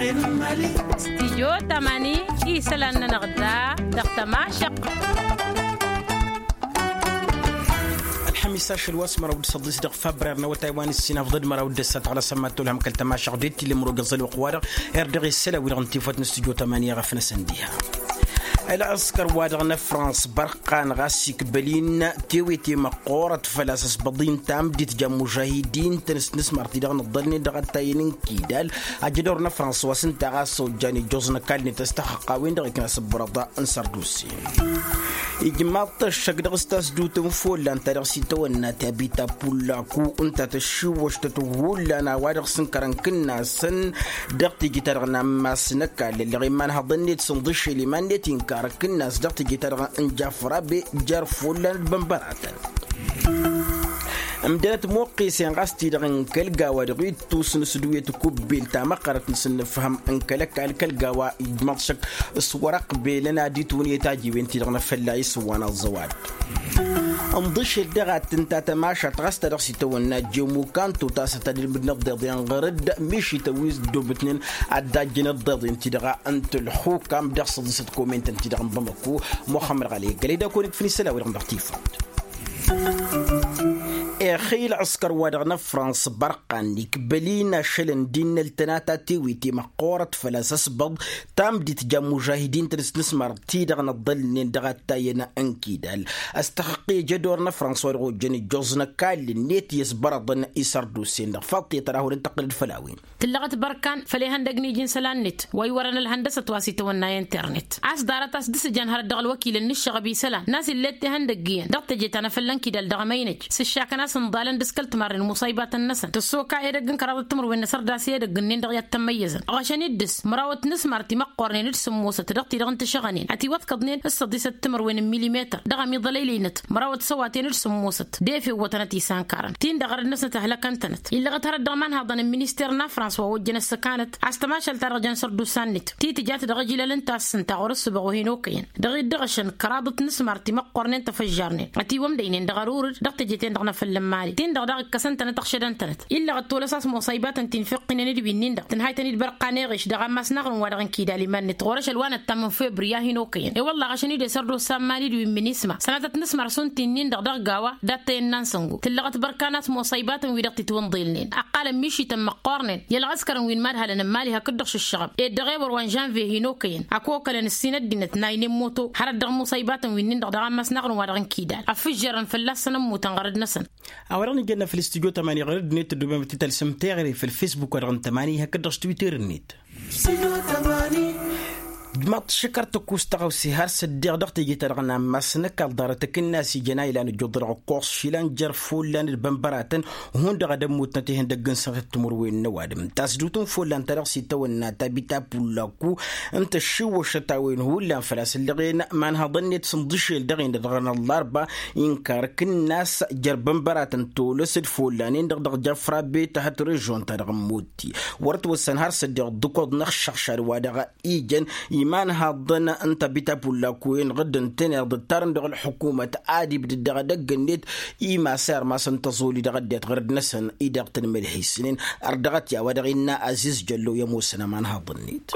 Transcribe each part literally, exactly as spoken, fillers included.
Stijyo tamani isălan-nănăɣ da dăɣ-tămašăɣt. Ălxămis ašăl wa s-măraw d-săḍis dăɣ-fabrar n-awătay wa n-ǝssin afḍăd măraw d-ăssat ɣlăsăn ma t-tolhăm kăl-tămašăɣt d-tilǝm rogăẓ ălwăqq-wa-dăɣ. Irdeɣ isălan wi-dăɣ n-tifăt n-stijyo tamani iɣăf-năsăn diha. Ălɣăskăr wa dăɣ-năfrans bărqan ɣas ikbăl-in tewete măqqoorăt făl-a-s ăsbăḍ-in tamdit ja mužahidin-tăn s-nǝsmar-t-i-dăɣ n-ǝḍḍălnen dăɣ-ăttayăn n-kidal. Ajădor n-afrans wa s-ǝnta ɣas ojjan ijjoẓ n-ăkall-net ăstăxăqqa-wen-dăɣ ikna s-ǝbbărăḍ n-sărdusen. Ijmaḍ-t ăššăk dăɣ-s tasdut n-follan ta dăɣ-s itawănna tabita pullaku ǝnta tăššiwwăštăt hullan a-wa dăɣ-s ǝnkărăn kǝnnasăn dăɣ-teje-ta-dăɣ n-ammas n-ăkall ălleɣ imanhăḍăn-net s-ǝnḍǝššel iman-net inkar kǝnnas dăɣ-teje-ta-dăɣ n-jafrabe jer-follan d-bănbăratăn. Ǝmdănăt muqqisen ɣas-t-i-dăɣ n-kăl-gawa dăɣ-ittus n-asǝdwet kubbel ta măqqărăt n-asǝnnǝfhăm n-kăl-ăkall kăl-gawa ijmăḍ šăkk s-wăr-ăqbelăn ad-itwǝnǝyăt ajiwen-ti-dăɣ n-afălla isǝwwan aẓẓăwad. Ǝnḍǝšel dăɣ-ad-tǝnta tămašat ɣas ta dăɣ-s itawănna jemu kanto tasăt ad-ilmǝdnăt ḍeḍen ɣăr-dd mišităn wi s-dd-obǝtnen ad-dd-ajjăn ăḍḍeḍen-ti-dăɣ n-tǝlxukam dăɣ-săḍisăt komentăn-ti-dăɣ n-bamăko. Muxămmăd ɣali gălăy d-akăwăn-ikfǝn isălan-wi-dăɣ n-dăɣ-tifăḍt. Exăy ălɣǝskăr-wa-dăɣ n-afrans bărqan ikbăl-in ašălăn d-innăl tănata tewete măqqoorăt făl-a-s ăsbăḍ tamdit ja mužahidin-tăn s-nǝsmar-ti-dăɣ n-ăḍḍălnen dăɣ-attayăn n-kidal. Ăstăxăqqe jădor n-afrans wa dăɣ-ojjăn ǝjjoẓ n-ăkall-net i-ăsbărăḍăn isărdusen-dăɣ faḍt i-tărahun ǝntăqqǝl-dd făll-a-wen. Tǝllăɣăt bărkan făll-ihăndăg n-iji n-isălan-net wa iwărăn ălhăndăsăt wa s-itawănna internet a-s ḍarăt a-s dd-sǝjăn hărăt dăɣ-ălwăkilăn n-ǝššăɣăb isălan n-a-s ill'-e d-tihăndăgg iyyăn dăɣ-teje ta n-afălla n-kidal dăɣ-emăynăj s-ǝššakăn a-s ǝnḍalăn d-s kăl-timarren imuṣaybatăn-năsăn tǝssoka edăgg n-kăraḍăt timǝrwen n-asărdas i-edăgg-ǝnnin-dăɣ i-ad-tămmăyyăzăn ɣăšăn-dd dăɣ-s mărawăt n-asmar timăqqornen d-sǝmmosăt dăɣ-ti-dăɣ n-tašăɣănen ătiwăḍkăḍnen s-săḍisăt timǝrwen n-milimetăr dăɣ-amiḍălăylăynăt mărawăt săwaten d-sǝmmosăt d-efew wătăn ătisankărăn-t-in-dăɣ ărăd-năsnăt ăhlăkăn-tănăt illăɣăt hărăt dăɣ-imanhaḍăn n-minister n-afrans wa ojjăn ăssăkanăt a-s tămašalt-ta-dăɣ jăn sărdusa-net ti tǝjat dăɣ-ijlăl ǝnta a-s ǝnta ɣur-ǝssǝbăɣ ohin okăyăn dăɣ-dd-ăɣšăn kăraḍăt n-asmar timăqqornen tăfăžžarnen ătiwămdăynen dăɣ-ărurǝd dăɣ-teje-ten-dăɣ n-afăl n-imali tin-dăɣ daɣ ǝkkăsăn-tănăt ăɣšădăn-tănăt illăɣăt tolăs a-s muṣăybatăn ti n-fiqqinen d-wi-nin-dăɣ tǝnhaytăn-dd bărqan eɣeš dăɣ-ammas n-aɣrǝm wa dăɣ-inkidal iman-net ɣur-ašăl wa năttam n-febri a hin-okăyăn i-wălla ɣăšăn-dd i-sărdosa n-imali d-wi n-minisma sănatăt n-asmar s-unti-nin-dăɣ dăɣ-gawa d-attăyăn n-ansăngo tǝllăɣăt bărkan a-s muṣăybatăn-wi-dăɣ tǝtwǝnḍelnen ăqqalăn mišităn măqqornen i-ălɣăskărăn wi n-imadhalăn n-imali hakd-dăɣ šǝššăɣăb ed dăɣ-ewăr wa n-žănve hin-okăyăn ăkokălăn ǝssin ăddinăt n-aynen moto hărăt dăɣ-imuṣăybatăn wi-nin-dăɣ dăɣ-ammas n-aɣrǝm wa dăɣ-inkidal ăffǝžžărăn fălla-săn ămmutăn ɣărăd-năsăn. A-wa-dăɣ nǝjănna făll-studyo tămani ɣărăd-net tǝddubem ad-t-tălsăm teɣăre făll-facebook wa dăɣ-n tămani hakd-dăɣ s-twitter-net. Ijmaḍ-t šăkăr tăkkus tăɣawse har s-ăddiɣ dăɣ-teje-ta-dăɣ n-ammas n-ăkall ḍarăt akǝnnas ijăn a ilan ǝjjuḍ dăɣ-ăkkoẓ išilan jer-follan d-bănbăratăn hundăɣ ad-ămmutnăt ihăndăgg n-sănatăt timǝrwen n-ăwadǝm tasdut n-follan ta dăɣ-s itawănna tabita pullaku ǝnta ăššiwwăšăt a-wen hullan făl-a-s ǝllăɣen imanhăḍăn-net s-ǝnḍǝšel dăɣ-en dăɣ-năllarba inkar kǝnnas jer-bănbăratăn tolăs d-follan-en-dăɣ dăɣ-jafra beta hăt režon-ta-dăɣ n-motti wăr ătwăssan har s-ăddiɣ dd-ǝkoḍ n-ăššăɣšad wa dăɣ-ijăn imanhăḍăn n-tabita pullaku-en ɣǝdd ǝntăneḍ ǝttarăn dăɣ-ălḥukumăt ad-ibdǝd dăɣ-edăgg-net imasar masăn tăẓoli dăɣ-ăddinăt ɣărăd-năsăn-i-dăɣ tăn-mălhesnen. Ărdăɣăt i-a-wa dăɣ-innă aziz jăllo i-ămoosăn ămanhăḍ-net.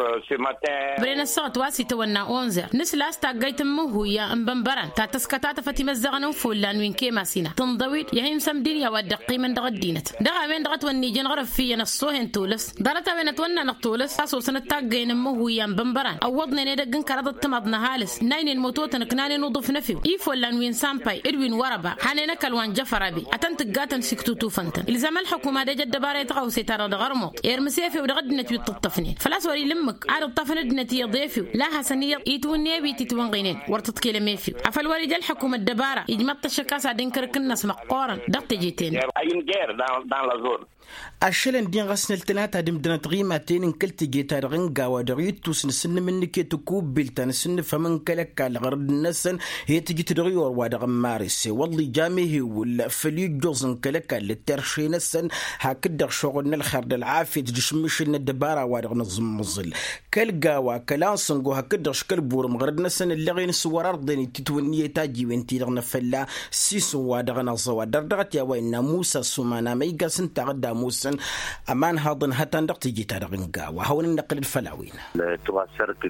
Bren ăssaɣăt wa s-itawănna onzer nǝsla a-s taggayt n-imǝhhuya n-bănbăran ta tăskătatăfăt imăzzăɣăn n-follan wi n-kemasina tǝnḍăw-dd i-hin-sămdin i-a-wa dd-ăqqimăn dăɣ-ăddinăt dăɣ-a-wen-dăɣ ătwănnijăn ɣărăf iyyăn ăṣṣohen tolăs ḍarăt-a-wen ătwănna-năɣ tolăs a-s osăn-dd taggăyăn n-imǝhhuya n-bănbăran ăwwăḍnen edăgg n-kăraḍăt timaḍ n-ăhalǝs n-aynen mătotăn ǝknanen uḍǝf n-efew i-follan wi n-sampay d-wi n-wărăba hanen ăkall wa n-jăfărabe ad-tăn-tǝggatăn s-iktutufăn-tăn ilzam ălḥukum ad-ej ăddăbara i-tăɣawse-ta-dăɣ dăɣ-ărmuḍ irmǝs efew dăɣ-ăddinăt wi t-ǝṭṭăfnen făl-a-s wăr-ila ǝmmǝk ad-ǝṭṭafăn ăddinăt iyyăḍ efew la hasăn-iyyăḍ itwǝnne wi t-itwănɣinen wăr tǝḍkelăm efew afăl wăr-ija ălḥukum ăddăbara ijmăḍ-t ăššăk a-s ad-inkăr akǝnnas măqqoorăn dăɣ-teje-ten. Ašălăn din ɣas n-ăltănata d-imdănăt ɣimaten n-kăl-teje-ta-dăɣ n-gawa dăɣ-ittus n-asǝnnǝm n-nǝkk Iket kubbil ta n-asǝnnǝfhăm n-kăl-ăkall ɣărăd-năsăn i-tǝjǝt dăɣ-i orwa dăɣ-n maris i-wălla ija mehewǝl făll-ijjoẓ n-kăl-ăkall d-terše-năsăn. Hakd-dăɣ šoɣǝl n-ălxer d-ălɣafyăt d-ašǝmmǝšǝl n-ăddăbara wa dăɣ-nǝẓǝmmǝẓǝl kăl-gawa kăla n-sǝngo hakd-dăɣ škălburǝm ɣărăd-năsăn ǝlleɣen s-wăr-ărḍen itǝtwǝnnǝyăt ajiwen-ti-dăɣ n-afălla s-isǝn wa dăɣ-năẓăwa dăr-dăɣ ătya wa innă musa s-uman amăygas ǝnta a dd-ămoosăn. Ămanhaḍăn hătan dăɣ-teje-ta-dăɣ n-gawa hawăn-dd-năqqǝlăd făll-a-wen.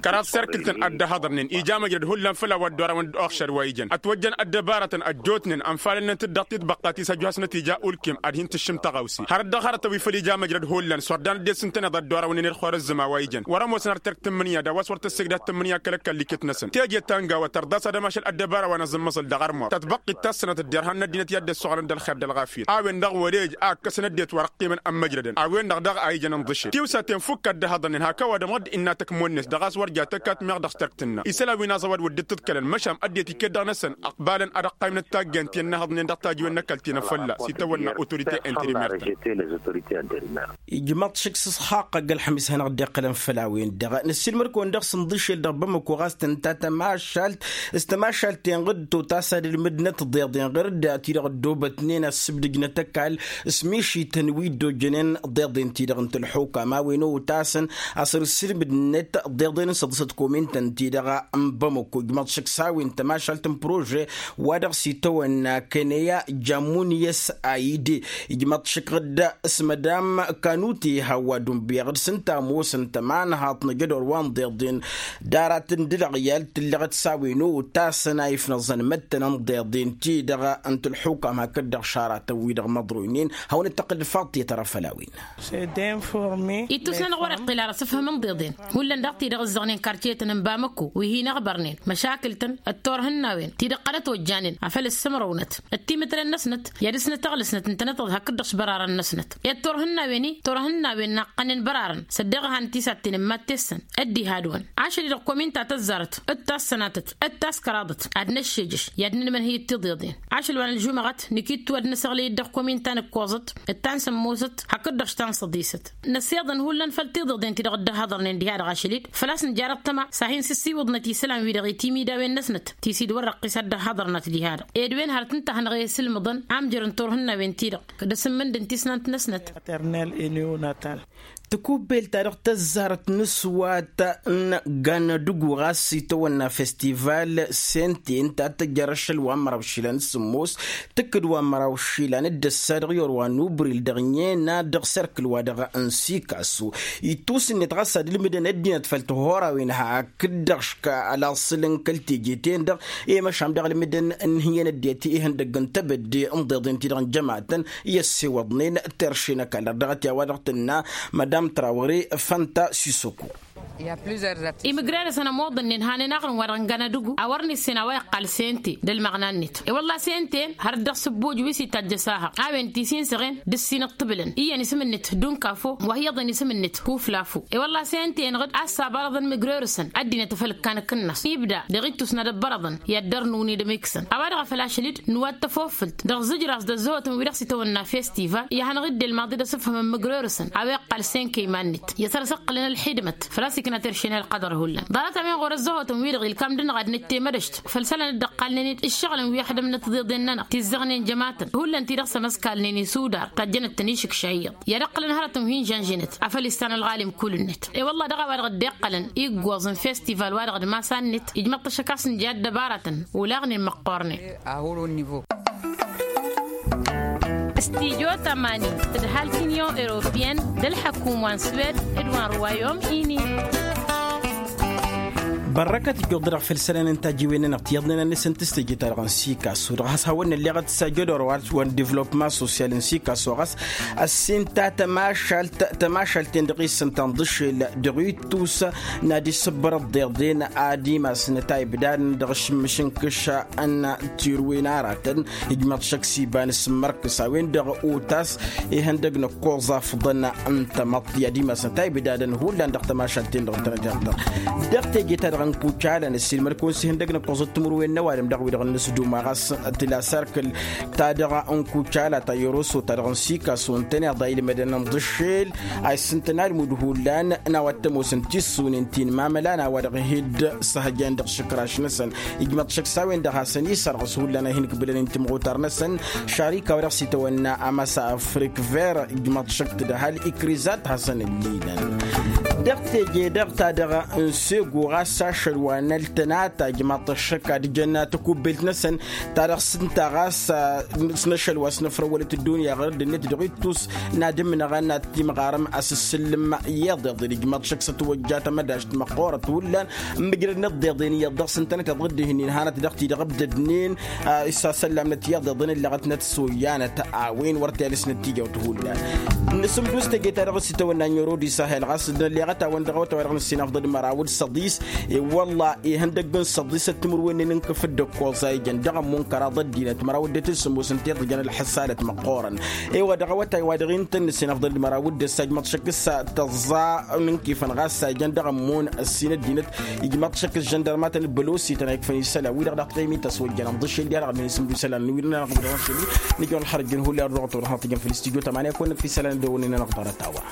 Kăraḍ serkǝltăn ăddăhaḍărnen ija măjrăd hullan făll-a-wa dd-orawăn d-oxšad wa ijăn ătwăjjăn ăddăbarătăn ăjjootnen ănfalălnăt-dd dăɣ-titbăqqa ti s-ăjjoosnăt ija ulkem ad-hin-tǝššǝm tăɣawse hărăt dăɣ-hărătăn wi făll-ija măjrăd hullan s-wăr dan ăddinăt s-ǝntăneḍ a dd-orawăn-nen d-xorăzzǝma wa ijăn wăr-ămoosăn har terk tǝmmǝnǝya d-a-wa s-wăr tăssegdăd tǝmmǝnǝya kăl-ăkall iket-năsăn teje ta n-gawa tărḍas ad-ămašăl ăddăbara wa n-azǝmmăẓăl dăɣ-armur tătbăqqit ta s-sănăt dd-irhan n-ăddinăt i-ad-dd-ăssoɣălăn d-ălxer d-ălɣafyăt a-wen-dăɣ wăr-ej a ǝkkăsăn ăddinăt wăr-ăqqimăn ămmăjrădăn a-wen-dăɣ daɣ a ijăn ǝnḍǝšel tiwsaten fukk ăddăhaḍănnen hak ăwadǝm ɣǝd innă tăkmon-net dăɣ-a-s wăr ja tăkkat meɣ dăɣ-s terk tǝnna isălan wi n-aẓăwad wăr dd-tǝḍkălăn măšan ăddinăt iket-dăɣ-năsăn ăqbalăn ad-ăqqaymnăt taggant i-ănnăhăḍnen dăɣ-tajiwen n-ăkall ti n-afălla s-itawănna autorite interimer-tăn. Ijmăḍ šik s-ǝṣxaqq ăgg-ălxămis hanăɣ-dd-iqqălăn făll-a-wen-dăɣ nǝssilmăd-kăwăn dăɣ-s ǝnḍǝšel dăɣ-bamăko ɣas tǝnta tămašalt s-tămašalt-ten ɣǝd totas ad-ǝlmǝdnăt ḍeḍen ɣǝr-dd ti-dăɣ ăddoobătnen ăssǝbdǝjnăt ăkall s-mišităn wi dd-ojjănen ḍeḍen-ti-dăɣ n-tǝlxukam a-wen otasăn a-s ărsǝlmǝdnăt ḍeḍen n-săḍǝsăt komintăn-ti-dăɣ n-bamăko ijmăḍ šik s-a-wen tămašalt n-prože wa dăɣ-s itawănna kăneya jamuniyăs a ide ijmăḍ šik ɣǝd s-mădam kanute hawwa dunbǝyăɣ d-sǝnta ămoosăn tămanhaḍt n-ajădor wa n-ḍeḍen d-aratăn d-ǝlɣǝyal tǝllăɣăt s-a-wen otasăn a ifnăẓăn măttăn n-ḍeḍen-ti-dăɣ n-tǝlxukam hakd-dăɣ šaratăn-wi-dăɣ măḍroynen. Hawăn-dd-tăqqǝl d-faḍt i-tăra făll-a-wen. Ittus-nănăɣ wăr-iqqǝl ara s-ǝfhǝm n-iḍeḍen hullan daɣ-t-i-dăɣ ǝzzăɣnen karcetăn n-bamăkko wi hin-ăɣbărnen măšakǝl-tăn d-turhǝnnawen ti-dăɣ qărăt ojjanen afăl ǝssǝmrăwnăt d-timǝtlăn-năsnăt i-ad-dăɣ-s nǝtăɣlǝsnăt ǝntăneḍ-tăḍ hakd-dăɣ s-bărarăn-năsnăt i-turhǝnnawen-i turhǝnnawen naqqănen bărarăn s-ăddeɣ ăhan tisatten n-mad-tessăn. Ăddihadwăn ašăl-i-dăɣ kominta tăzzarăt d-tassănatăt d-taskăraḍăt ad-năššejăš i-ad-nǝnmănhǝy d-tiḍeḍen ašăl wa n-ălžumăɣăt nǝkittu ad-năsăɣlăy-dd dăɣ-kominta n-ǝkkoẓăt d-ta n-sămmosăt hakd-dăɣ s-ta n-săḍisăt. Năsiḍăn hullan făll-tiḍeḍen ti-dăɣ dd-ăhhăḍărnen diha-dăɣ ašăl-dd făl-a-s nǝjarăt tăma s-ad-hin-sǝssiwǝḍnăt isălan-wi-dăɣ i-timidawen-năsnăt ti s-dd-wăr-răqqis ad-dd-ăhhăḍărnăt diha-dăɣ ed wen hărăt ǝnta a hanăɣ-e-sǝlmǝḍăn amjăr n-turhǝnnawen-ti-dăɣ d-asǝmmǝnd n-tisnant-năsnăt. Tăkubbelt-ta-dăɣ tăzzarăt n-aswat n-gannădǝgu ɣas itawănna festival sente ǝnta a tăjjăr ašăl wa n-măraw išilan s-sǝmmos tǝkkǝd wa n-măraw išilan d-ăssa dăɣ-i orwa n-ubril dăɣ-nena dăɣ-serkǝl wa dăɣ-n sikasu. Ittus-net ɣas ad-ǝlmǝdăn ăddinăt făll-tihurawen hakd-dăɣ ška ălaṣǝl n-kăl-teje-ten-dăɣ i-măšan dăɣ-ǝlmǝdăn n-hiyăn ăddinăt ihăndăgg n-tebădde n-iḍeḍen-ti-dăɣ n-jămatăn i-ăssewăḍnen terše n-ăkall dăɣ-dăɣ ătya wa dăɣ-tǝnna madam trawre fănta sisoko. Imǝgrerăsăn ămoḍănnen hanen aɣrǝm wa dăɣ-n gănădǝgu a wăr nǝssen a-wa iqqal sente d-ălmăɣna-net i-wălla sente hărăt dăɣ-sǝbbuj wi s-itajj ăsahăɣ a-wen tisinsăɣen d-ǝssin ǝṭṭǝbǝlăn iyyăn isǝm-net dunkafo wa hi-iyyăḍen isǝm-net kuflafo. I-wălla sente-en ɣǝd a-s sabarăḍăn imǝgrerăsăn ăddinăt afăl ǝkkan akǝnnas ibda dăɣ-ittus n-ad-ăbbărăḍăn i-ad-dăr-nǝwǝn-dd ămikǝsăn a-wa-dăɣ a făl ašăl-dd nǝwat tafofǝlt dăɣ-zǝjraẓ d-ăzzăhotăn wi-dăɣ s-itawănna festival i-ad-hanăɣ-dd-ilmaḍ-dd asǝfhǝm n-imǝgrerăsăn a-wa iqqal senke iman-net i-ad-săr-săqqǝlăn ălxidmăt făl-a-s ikna terše n-ălqăḍăr hullan. Ḍarăt a-wen ɣur-ăzzăhotăn-wi-dăɣ ilkam d-anăɣ ad-nǝtte mădăšt făll-isălan dd-ăqqalnen-dd ǝššăɣǝlăn wi ăxdămnăt tiḍeḍen-nănăɣ tizzăɣnen jămatăn hullan-ti-dăɣ s-ămăskalnen isudar tajjănăt-tăn išǝkša iyyăḍ i-ad-ǝqqǝlăn hărătăn wi n-žănžănăt afăl issan ălɣalim kull-net. I-wălla dăɣ-a-wa dăɣ-dd-iqqălăn iggoẓ n-festival-wa-dăɣ d-masa-net ijmăḍ-t ašăk a-s nǝja ăddăbarătăn olaɣnen măqqornen. Stijo tămani tǝdhal t-inyon europeyăn d-ălḥăkum wa n-swed d-wa n-ruwayom ini. Bărrăkăt ijjuḍ-dăɣ făll-isălan n-tajjiwen-nănăɣ tiyyăḍnen a nǝsǝntǝs teje-ta-dăɣ n-sikasu dăɣ-has hawăn-nălleɣăt s-ajădor wa n-devlopma sosyal n-sikasu ɣas ăssinta tămašalt tămašalt-ten-dăɣ i-sǝnta n-iḍǝšel dăɣ-ittus n-ad-isǝbbărăḍ deḍen ad-imasnăt a ibdadăn dăɣ-ašǝmmǝš n-kǝšša n-tirwen aratăn. Ijmăḍ šăkk s-iba n-asǝmmărkǝs a-wen-dăɣ otas ihăndăg n-ăkkoẓ afḍăn n-tamăḍt i-ad-imasnăt a ibdadăn hullan dăɣ-tămašalt-ten-dăɣ ǝntănăt iɣdăr dăɣ-teje-ta-dăɣ. n-kucala n-ăssiilmăd-kăwăn s-ihăndăg n-ǝkkoẓăt timǝrwen n-ăwadǝm dăɣ-wi-dăɣ n-inǝsduma ɣas tǝla sarkǝl ta dăɣ-n kucala ta yoroso ta dăɣ-n sikaso ǝntăneḍ a ilmădăn n-iḍǝššel a isǝntăn almud hullan n-a-wa t-ămoosăn tissunen ti n-imamălan a-wa-dăɣ hi-dd-săhăjăn dăɣ-išǝkraš-năsăn. Ijmăḍ šăkk s-a-wen-dăɣ hasăn-isărɣǝs hullan a hin-ǝkbǝlăn n-timɣutar-năsăn šarika wa dăɣ-s itawănna amasa afrik ver ijmăḍ šăkk tǝdhal ikrizat hasăn-ǝllilăn. Dăɣ-teje-dăɣ ta dăɣ-n sego ɣas ašăl wa n-ăltănata ijmăḍ šăkk ad-jăn tăkubbelt-năsăn ta dăɣ-s ǝnta ɣas s-năšăl wa s-năfrăwălăt ăddunya ɣur-dd-net dăɣ-ittus n-ad-ǝmnăɣăn ad-timɣarăm a-s ǝssǝllǝm iyyăḍ iḍǝl ijmăḍ šăkk s-ătwăjja tamădašt măqqoorăt hullan. Ǝmmǝjrăd n-iḍeḍen iyyăḍ dăɣ-s ǝntănăt iḍɣǝd-ihǝnnin hanăt dăɣ-ti-dăɣ ǝbdădnen isasăllamnăt iyyăḍ iḍǝn ǝllăɣătnăt s-oyyanăt a-wen wăr t-elăsnăt tijawt hullan. N-asǝmdus teje-ta-dăɣ s-itawănna n-yoro d-isahel ɣas d-nălleɣăt-awăn dăɣ-awăt a-wa-dăɣ nǝssin afḍăl d-măraw d-săḍis i-wălla ihăndăgg n-săḍisăt timǝrwen n-inkǝf d-ǝkkoẓ a ijăn dăɣ-ămmun kăraḍ ăddinăt măraw dd-tǝssǝmmus ǝnta iḍǝjăn ălxăsalăt măqqoorăn. I-wa dăɣ-awătay wa dăɣ-intăn nǝssin afḍăl d-măraw d-ăssa ijmăḍ šăkk s-tăẓẓa n-inkifăn ɣas a ijăn dăɣ-ămmun ăssin ăddinăt ijmăḍ šăkk s-žăndărmatăn ǝbbălosităn a ikfăn isălan wi-dăɣ daɣ tăymităs wăjjăn ămḍǝššel diha dăɣ-ădmin isǝmdu isălan n-wi dăɣ-nănăɣ bădăwăn šăli. Nǝjăwăn ălxărăjjăn hullan dăɣ-tăwăr hătăjăn făll-istudyo tămani a kăwăn-năkf isălan d-ăwwănnen-anăɣ ḍarăt a-wa.